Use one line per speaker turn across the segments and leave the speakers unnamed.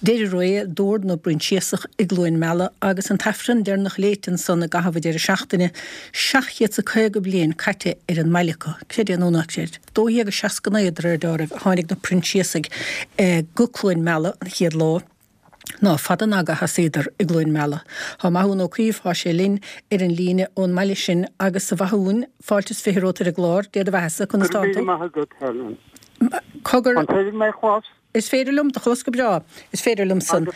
Deireadh ré d'Ord na bProinsiasach i gCluain Meala agus an tAifreann deireanach léite ansan i gcaitheamh an deireadh seachtaine, 750 bliain caite ar an mbaile acu, creid é nó ná creid. 1269 de réir dealraimh a tháinig na Proinsiasaigh go Cluain Meala an chéad lá. Ná fada ná go sheasaíodar i gCluain Meala. Tá Mathúna Ó Caoimh, tá sé linn ar an líne ón mbaile sin agus a Mhathúin, fáilte is 20 romhat ar an gclár, Dé do bheathasa, conas
tánn
tú?
Go raibh míle maith agat, Helen.
Cogar.
An féidir mé a chlos?
Is féidir liom do chlos go breá. Is féidir liom san.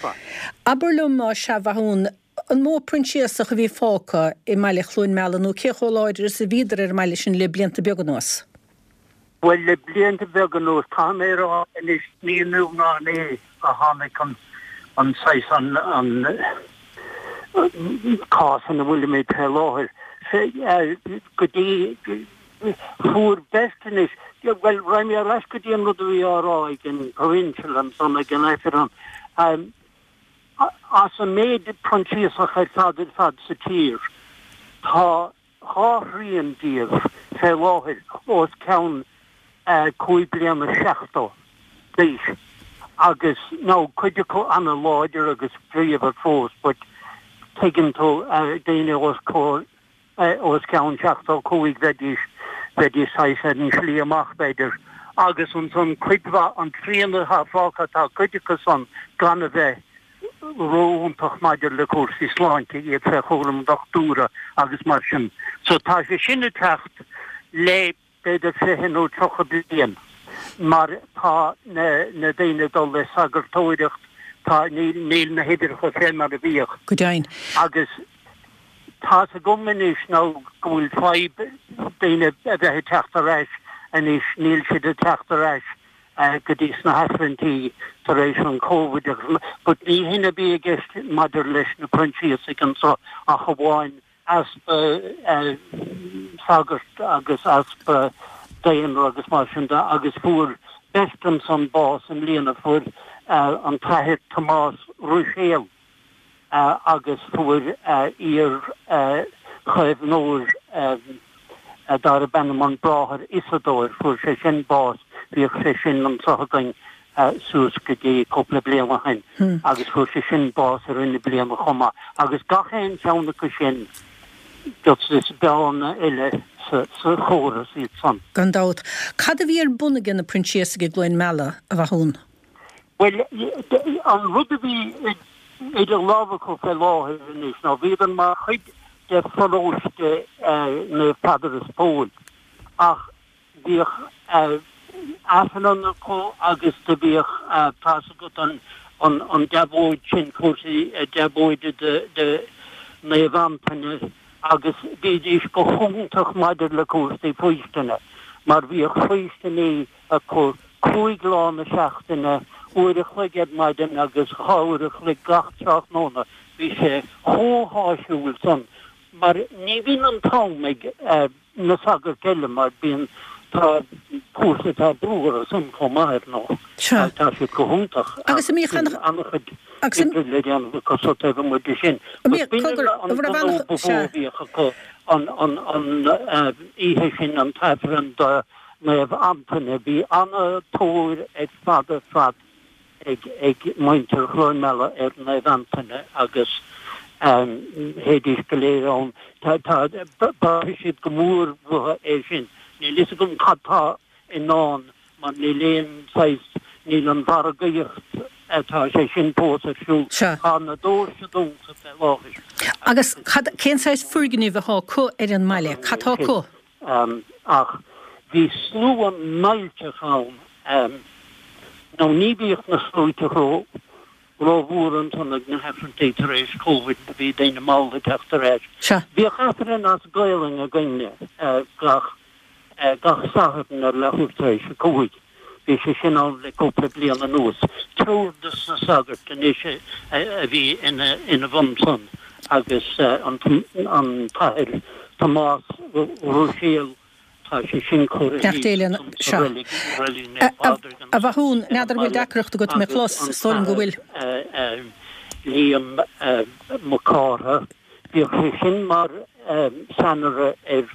Abair liom, sea, a Mhathúin, an mó Proinsiasach a bhí fágtha i mbaile Chluain Meala nó cé chomh láidir is a bhíodar ar an mbaile sin le blianta beaga anuas?
Bhuel, le blianta beaga anuas, caithfidh mé a rá anois, ní inniu ná inné a tháinig an, an saghas, an, an cás ina bhfuilimid fé láthair. Go dtí, fuair beirt anois, bhuel, raghaidh mé ar ais go dtí an rud a bhí á rá ag an Provincial ansan ag an Aifreann. As an méid Proinsiasach ar fad ar fad sa tír, tá 2 thrian díobh fé láthair os cionn 5 bliana 70 d'aois agus now cuid acu ana-láidir agus bríomhar fós but tuigeann tú daoine os comhair os cionn 75 bheidís bheidís saghas ar an slí amach b'fhéidir agus ansan cuid mhaith an trian atá fágtha tá cuid acu san gan a bheith ró-iontach maidir le cúrsaí sláinte, iad fé chúram dochtúra agus mar sin. So tá sé sin ag teacht le b'fhéidir 20 nó 30 bliain mar tá na na daoine ag dul le sagartóireacht, tá, níl, níl na huimhreacha fé mar a bhíodh.
Go deimhin.
Agus tá's agam anois nó go bhfuil fadhb daoine a bheith ag teacht ar ais anois, níl siad ag teacht ar ais go dtí sna hAifrinntí tar éis an Covid agus but ní hin a bhí i gceist maidir leis na Proinsiasaigh anso ach amháin easpa sagart agus easpa daonra agus mar sin de agus fuair beirt ansan bás i mbliana, fuair an tAthair Tomás Ruiséal agus fuair iar-chaomhnóir darb ainm an Bráthair Iosadóir, fuair sé sin bás, bhíodh sé sin anso againn suas go dtí cúpla bliain ó shin agus fuair sé sin bás i rith na bliana chomh maith. Agus gach aon cheann acu sin, just is bearna eile sa chóras iad san.
Gan dabht. Cad a bhí ar bun aige na Proinsiasaigh i gCluain Meala, a Mhathúna?
Bhuel, an rud a bhí idir lámha acu fé láthair anois ná bhíodar mar chuid de pharóiste Naomh Peadar is Pól ach bhíodh Aifreann acu agus do bhíodh, tá's agat an deabhóid sin, cúrsaí deabhóide de Naomh Antaine agus bhídís go hiontach maidir le cúrsaí faoistine mar bhíodh faoistiní acu 5 lá na seachtaine, uair a chloig ar maidin agus 2 uair a chloig gach tráthnóna. Bhí sé chomh háisiúil san mar ní bhíonn an t-am ag na sagairt eile mar bíonn, tá cúrsa, tá brú orthu san chomh maith ar ndóigh. Tá siad go hiontach
ach
bíonn an-chuid oibre le déanamh acu so taobh amuigh de sin. But b'in an gnó ba mhó a bhíodh acu an oíche sin, an t-aifreann do Naomh Antaine. Bhí ana-tóir ar fad ar fad ag muintir Chluain Meala ar Naomh Antaine agus théidís go léir ann. Tá, braithfidh siad go mór uathu é sin. Níl fhios agam cad tá i ndán mar níl aon saghas, níl an mhargaíocht, tá sé sin fós ar siúl. Tá na doirse dúnta fé láthair.
Agus cad, cén saghas foirgnimh atá acu ar an mbaile? Cad tá acu?
Ach bhí slua millteach ann, nó ní bhíodh na sluaite rómhór ansan ag na hAifreanntaí tar éis Covid, bhí daoine mall ag teacht ar ais. Bhíodh Aifreann as Gaolainn againne gach gach Satharn ar leathuair tar éis a cúig. Bhí sé sin ann le cúpla bliain anuas. Triúr de na sagairt anois a bhí ina bhun san agus an tAthair Tomás Ruiséal, tá sé sin curtha
thíos ansan sa reilig, Reilig Naomh Pádraig A Mhathúin, n'fheadar an bhfuil deacracht agat mé chlos, is dóigh liom go bhfuil.
Liam Mac Cártha, bhíodh sé sin mar cheannaire ar.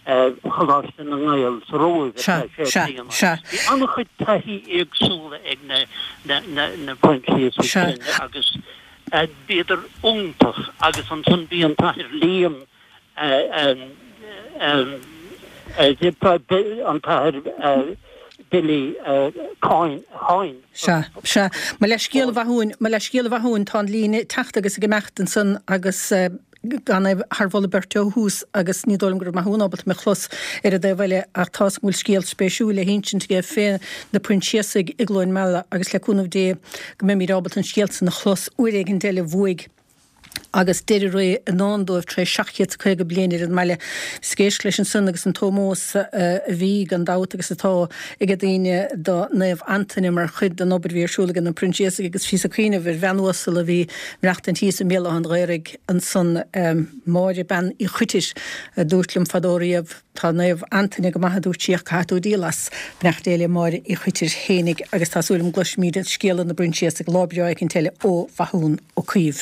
Choláiste na nGael sa Róimh ar feadh sé bliana. Bhí an-chuid taithí éagsúla ag na Proinsiasaigh sin agus bhíodar iontach agus ansan bhí an tAthair Liam, an tAthair Billy Coyne.
Sea, sea. Mo leithscéal a Mhathúin, mo leithscéal a Mhathúin, tá an líne ag teacht agus ag imeacht ansan agus gan é thar mholadh beirte ó thús agus ní dóigh liom go raibh Mathún ábalta mé a chlos ar an dtaobh eile ach tá's agam go bhfuil scéal spéisiúil le hinsint aige fé na Proinsiasaigh i gCluain Meala agus le cúnamh Dé go mbeimíd ábalta an scéal san a chlos uair éigint eile uaidh. agus deireadh ré i ndán dóibh tar éis 750 bliain ar an mbaile. Bhíos ag éisteacht leis ansan agus an t-ómós a bhí, gan dabht, agus atá ag daoine do Naomh Antaine mar chuid den obair a bhí ar siúl ag na Proinsiasaigh agus bhíos ag cuimhneamh ar bhean uasal a bhí ag maireachtaint thíos i mBéal Átha an Ghaorthaidh ansan, Máire Bean Uí Choitir, a dúirt liom fadó riamh, Tá Naomh Antaine go maith, a dúirt sí, ach caithfidh tú díol as. Beannacht Dé le Máire Uí Choitir fhéinig agus tá súil agam go gcloisfimíd scéala na bProinsiasach lá breá éicint eile ó Mhathún Ó Caoimh.